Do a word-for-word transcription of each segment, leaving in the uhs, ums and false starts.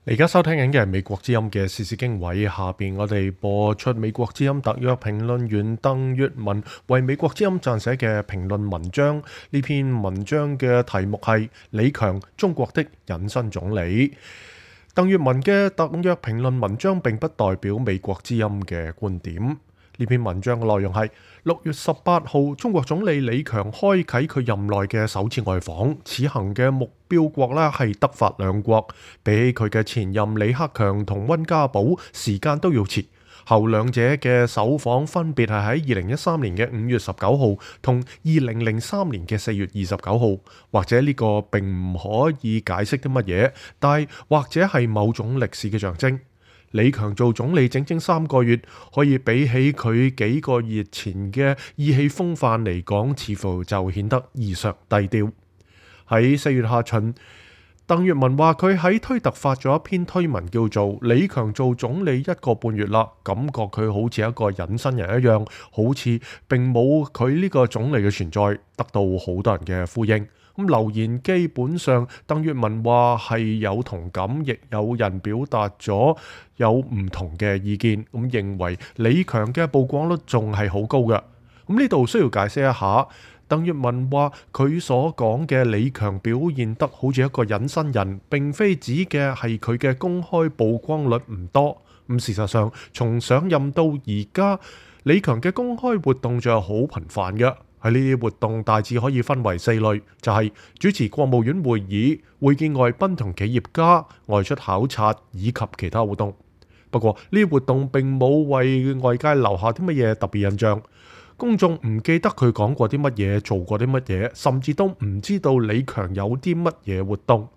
你而家收聽緊嘅係美國之音嘅時事經緯，下邊我哋播出美國之音特約評論員鄧粵文為美國之音撰寫嘅評論文章。呢篇文章嘅題目係李強，中國的隱身總理。鄧粵文嘅特約評論文章並不代表美國之音嘅觀點。呢篇文章嘅內容係六月十八號，中國總理李強開啟佢任內嘅首次外訪，此行嘅目標國呢係德法兩國，比起佢嘅前任李克強同溫家寶時間都要遲。後兩者嘅首訪分別係喺二零一三年嘅五月十九號同二零零三年嘅四月二十九號，或者呢個並唔可以解釋啲乜嘢，但係或者係某種歷史嘅象徵。李強做總理整整三個月，可以比起佢幾個月前嘅意氣風範嚟講，似乎就顯得異常低調。喺四月下旬，鄧粵文話佢喺推特發咗一篇推文，叫做李強做總理一個半月啦，感覺佢好似一個隱身人一樣，好似並冇佢呢個總理嘅存在，得到好多人嘅呼應。咁留言基本上，鄧粵文話係有同感，亦有人表達咗有唔同嘅意見，咁認為李強嘅曝光率仲係好高嘅。咁呢度需要解釋一下，鄧粵文話佢所講嘅李強表現得好似一個隱身人，並非指嘅係佢嘅公開曝光率唔多。咁事實上，從上任到而家，李強嘅公開活動就係好頻繁嘅。喺呢啲活動大致可以分為四類，就係主持國務院會議、會見外賓同企業家、外出考察以及其他活動。不過呢啲活動並冇為外界留下啲乜嘢特別印象，公眾唔記得佢講過啲乜嘢、做過啲乜嘢，甚至都唔知道李強有啲乜嘢活動。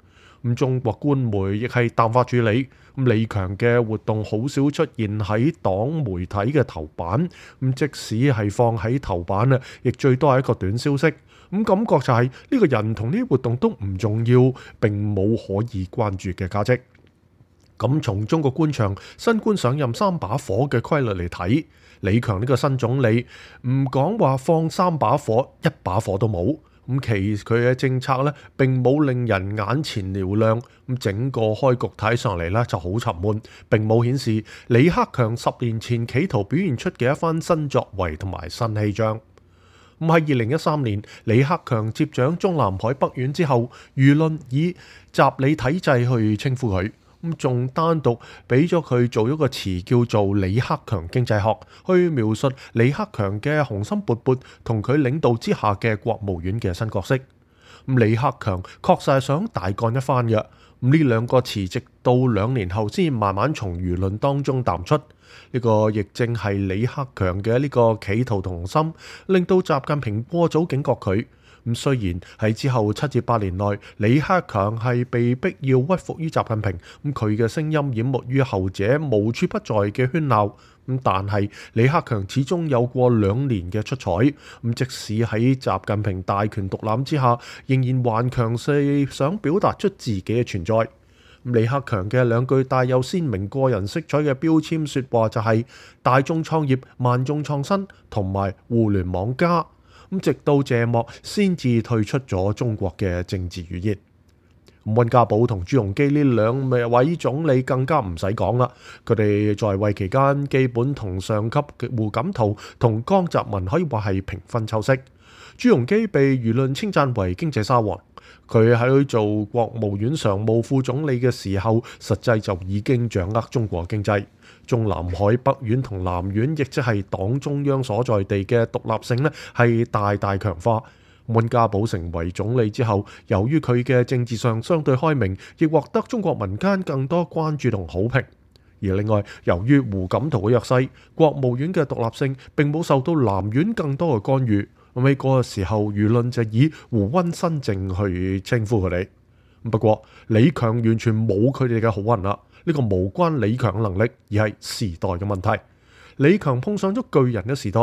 咁中國官媒亦係淡化處理，咁李強嘅活動好少出現喺黨媒體嘅頭版，咁即使係放喺頭版啊，亦最多係一個短消息。咁感覺就係呢個人同呢啲活動都唔重要，並冇可以關注嘅價值。咁從中國官場新官上任三把火嘅規律嚟睇，李強呢個新總理唔講話放三把火，一把火都冇。咁其佢嘅政策咧並冇令人眼前嘹亮，咁整個開局睇上嚟咧就好沉悶，並冇顯示李克強十年前企圖表現出嘅一番新作為同埋新氣象。咁喺二零一三年，李克強接掌中南海北院之後，輿論以習李體制去稱呼佢。咁仲單獨俾咗佢做一個詞叫做李克強經濟學，去描述李克強嘅雄心勃勃同佢領導之下嘅國務院嘅新角色。咁李克強確實係想大幹一番嘅。咁呢兩個詞直到兩年後先慢慢從輿論當中淡出。呢個亦正係李克強嘅呢個企圖同心，令到習近平過早警覺佢。咁雖然喺之後七至八年內，李克強係被逼要屈服於習近平，咁佢嘅聲音淹沒於後者無處不在嘅喧鬧，咁但係李克強始終有過兩年嘅出彩，咁即使喺習近平大權獨攬之下，仍然頑強地想表達出自己嘅存在。李克強嘅兩句帶有鮮明個人色彩嘅標籤說話就係大眾創業、萬眾創新同埋互聯網加。咁直到謝幕先至退出咗中國嘅政治語言。溫家寶同朱鎔基呢兩位總理更加唔使講啦，佢哋在位期間基本同上級嘅胡錦濤同江澤民可以話係平分秋色。朱鎔基被輿論稱讚為經濟沙王，佢喺做國務院常務副總理嘅時候，實際就已經掌握中國經濟。中南海北院同南院，亦即係黨中央所在地嘅獨立性呢，係大大強化。溫家寶成為總理之後，由於佢嘅政治上相對開明，亦獲得中國民間更多關注同好評。而另外，由於胡錦濤嘅弱勢，國務院嘅獨立性並冇受到南院更多嘅干預。咁喺嗰個時候，輿論就以胡溫新政去稱呼佢哋。不過李強完全冇佢哋嘅好運啦。呢個無關李強嘅能力，而係時代嘅問題。李強碰上咗巨人嘅時代。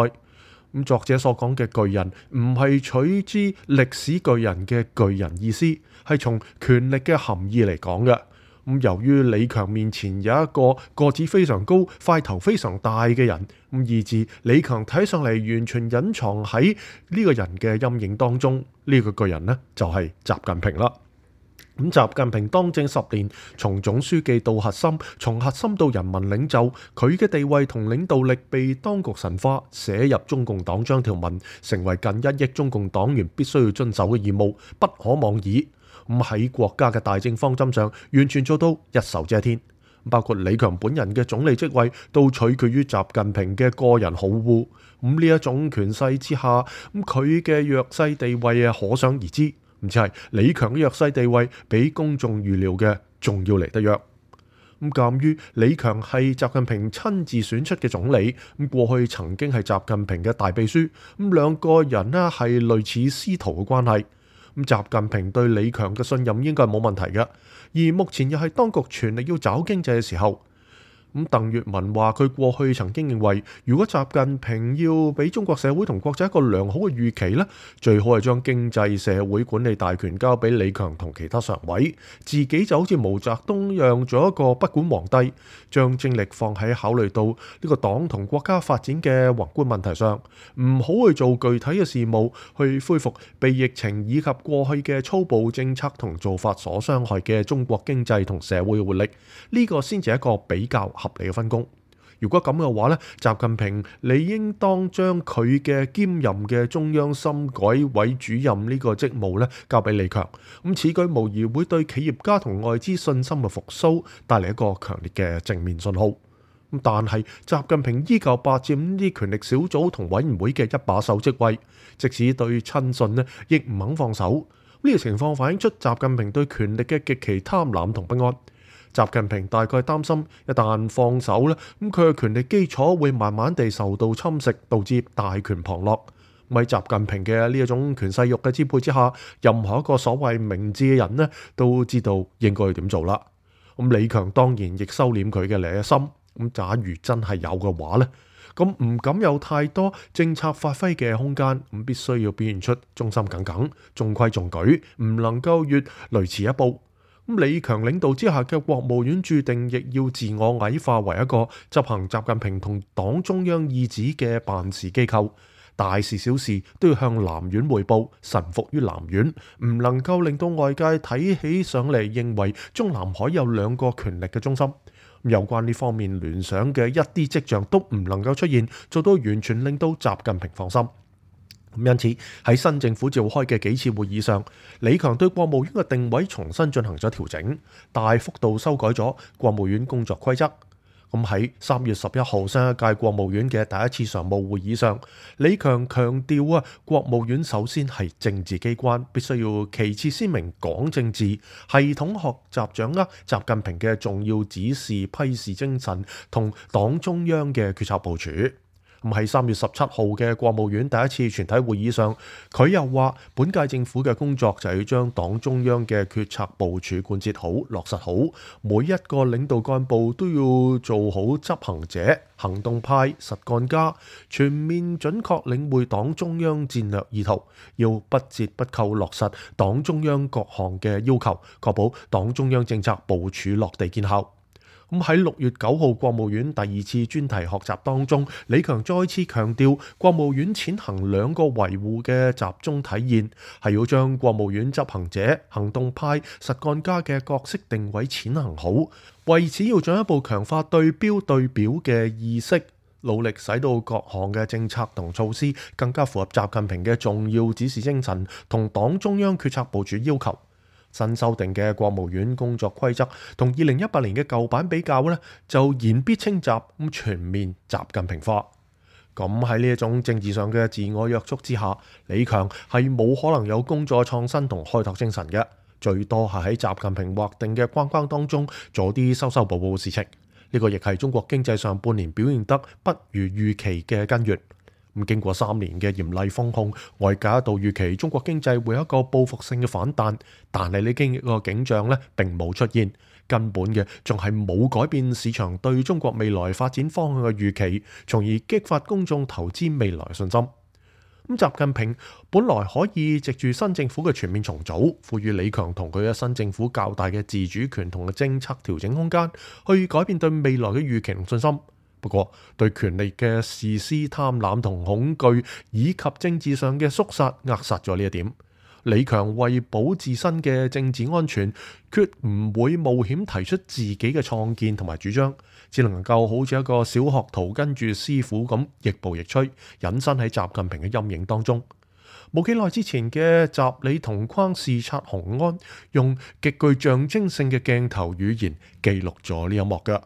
咁作者所講嘅巨人，唔係取之歷史巨人嘅巨人意思，係從權力嘅含義嚟講嘅。咁由於李強面前有一個個子非常高、塊頭非常大嘅人，咁以致李強睇上嚟完全隱藏喺呢個人嘅陰影當中。呢個巨人呢，就係習近平啦。咁習近平當政十年，從總書記到核心，從核心到人民領袖，佢嘅地位同領導力被當局神化，寫入中共黨章條文，成為近一億中共黨員必須要遵守嘅義務，不可妄議。咁喺國家嘅大政方針上，完全做到一手遮天。包括李強本人嘅總理職位，都取決於習近平嘅個人好惡。咁呢一種權勢之下，咁佢嘅弱勢地位啊，可想而知。唔似係李強嘅弱勢地位，比公眾預料嘅仲要嚟得弱。咁鑑於李強係習近平親自選出嘅總理，咁過去曾經係習近平嘅大秘書，咁兩個人呢係類似師徒嘅關係。咁習近平對李強嘅信任應該係冇問題嘅。而目前又係當局全力要找經濟嘅時候。咁鄧月文話佢過去曾經認為，如果習近平要俾中國社會同國際一個良好嘅預期呢，最好係將經濟社會管理大權交俾李強同其他常委，自己就好似毛澤東一樣做一個不管皇帝，將精力放喺考慮到呢個黨同國家發展嘅宏觀問題上，唔好去做具體嘅事務，去恢復被疫情以及過去嘅粗暴政策同做法所傷害嘅中國經濟同社會嘅活力。呢個先至係一個比較合理嘅分工。如果咁嘅話呢，習近平理應當將佢嘅兼任嘅中央深改委主任呢個職務呢交俾李強。咁此舉無疑會對企業家同外資信心嘅復甦帶嚟一個強烈嘅正面信號。但係習近平依舊霸佔啲權力小組同委員會嘅一把手職位，即使對親信呢亦唔肯放手。呢個情況反映出習近平對權力嘅極其貪婪同不安。習近平大概擔心，一旦放手咧，咁佢嘅權力基礎會慢慢地受到侵蝕，導致大權旁落。喺習近平嘅呢一種權勢欲嘅支配之下，任何一個所謂明智嘅人呢，都知道應該要點做啦。咁李強當然亦收斂佢嘅野心。咁假如真係有嘅話呢，咁唔敢有太多政策發揮嘅空間，咁必須要表現出忠心耿耿、中規中矩，唔能夠越雷池一步。咁李強領導之下嘅國務院注定亦要自我矮化為一個執行習近平同黨中央意旨嘅辦事機構，大事小事都要向南院匯報，臣服於南院，唔能夠令到外界睇起上嚟認為中南海有兩個權力嘅中心。有關呢方面聯想嘅一啲跡象都唔能夠出現，做到完全令到習近平放心。因此喺新政府召開嘅幾次會議上，李強對國務院嘅定位重新進行咗調整，大幅度修改咗國務院工作規則。咁喺三月十一號新一屆國務院嘅第一次常務會議上，李強強調啊，國務院首先係政治機關，必須要旗幟鮮明講政治，系統學習掌握習近平嘅重要指示批示精神同黨中央嘅決策部署。咁喺三月十七號嘅國務院第一次全體會議上，佢又話本屆政府嘅工作就係要將黨中央嘅決策部署貫徹好、落實好，每一個領導幹部都要做好執行者、行動派、實幹家，全面準確領會黨中央戰略意圖，要不折不扣落實黨中央各項嘅要求，確保黨中央政策部署落地見效。咁喺六月九號國務院第二次專題學習當中，李強再次強調國務院踐行兩個維護嘅集中體現，係要將國務院執行者、行動派、實幹家嘅角色定位踐行好，為此要進一步強化對標對表嘅意識，努力使到各項嘅政策同措施更加符合習近平嘅重要指示精神同黨中央決策部署要求。新修訂嘅國務院工作規則同二零一八年嘅舊版比較呢，就言必稱習，咁全面習近平化。咁喺呢一種政治上嘅自我約束之下，李強係冇可能有工作創新同開拓精神嘅，最多係喺習近平劃定嘅框框當中做啲修修補補嘅事情。呢個亦係中國經濟上半年表現得不如預期嘅根源。咁經過三年嘅嚴厲封控，外界一度預期中國經濟會有一個報復性嘅反彈，但係呢經歷個景象咧並冇出現，根本嘅仲係冇改變市場對中國未來發展方向嘅預期，從而激發公眾投資未來信心。咁習近平本來可以藉住新政府嘅全面重組，賦予李強同佢嘅新政府較大嘅自主權同嘅政策調整空間，去改變對未來嘅預期同信心。不過，對權力嘅自私貪婪同恐懼，以及政治上嘅肅殺，扼殺咗呢一點。李強為保自身嘅政治安全，決唔會冒險提出自己嘅創建同埋主張，只能夠好似一個小學徒跟住師傅咁亦步亦趨，隱身喺習近平嘅陰影當中。冇幾耐之前嘅習李同框視察雄安，用極具象徵性嘅鏡頭語言記錄咗呢一幕㗎。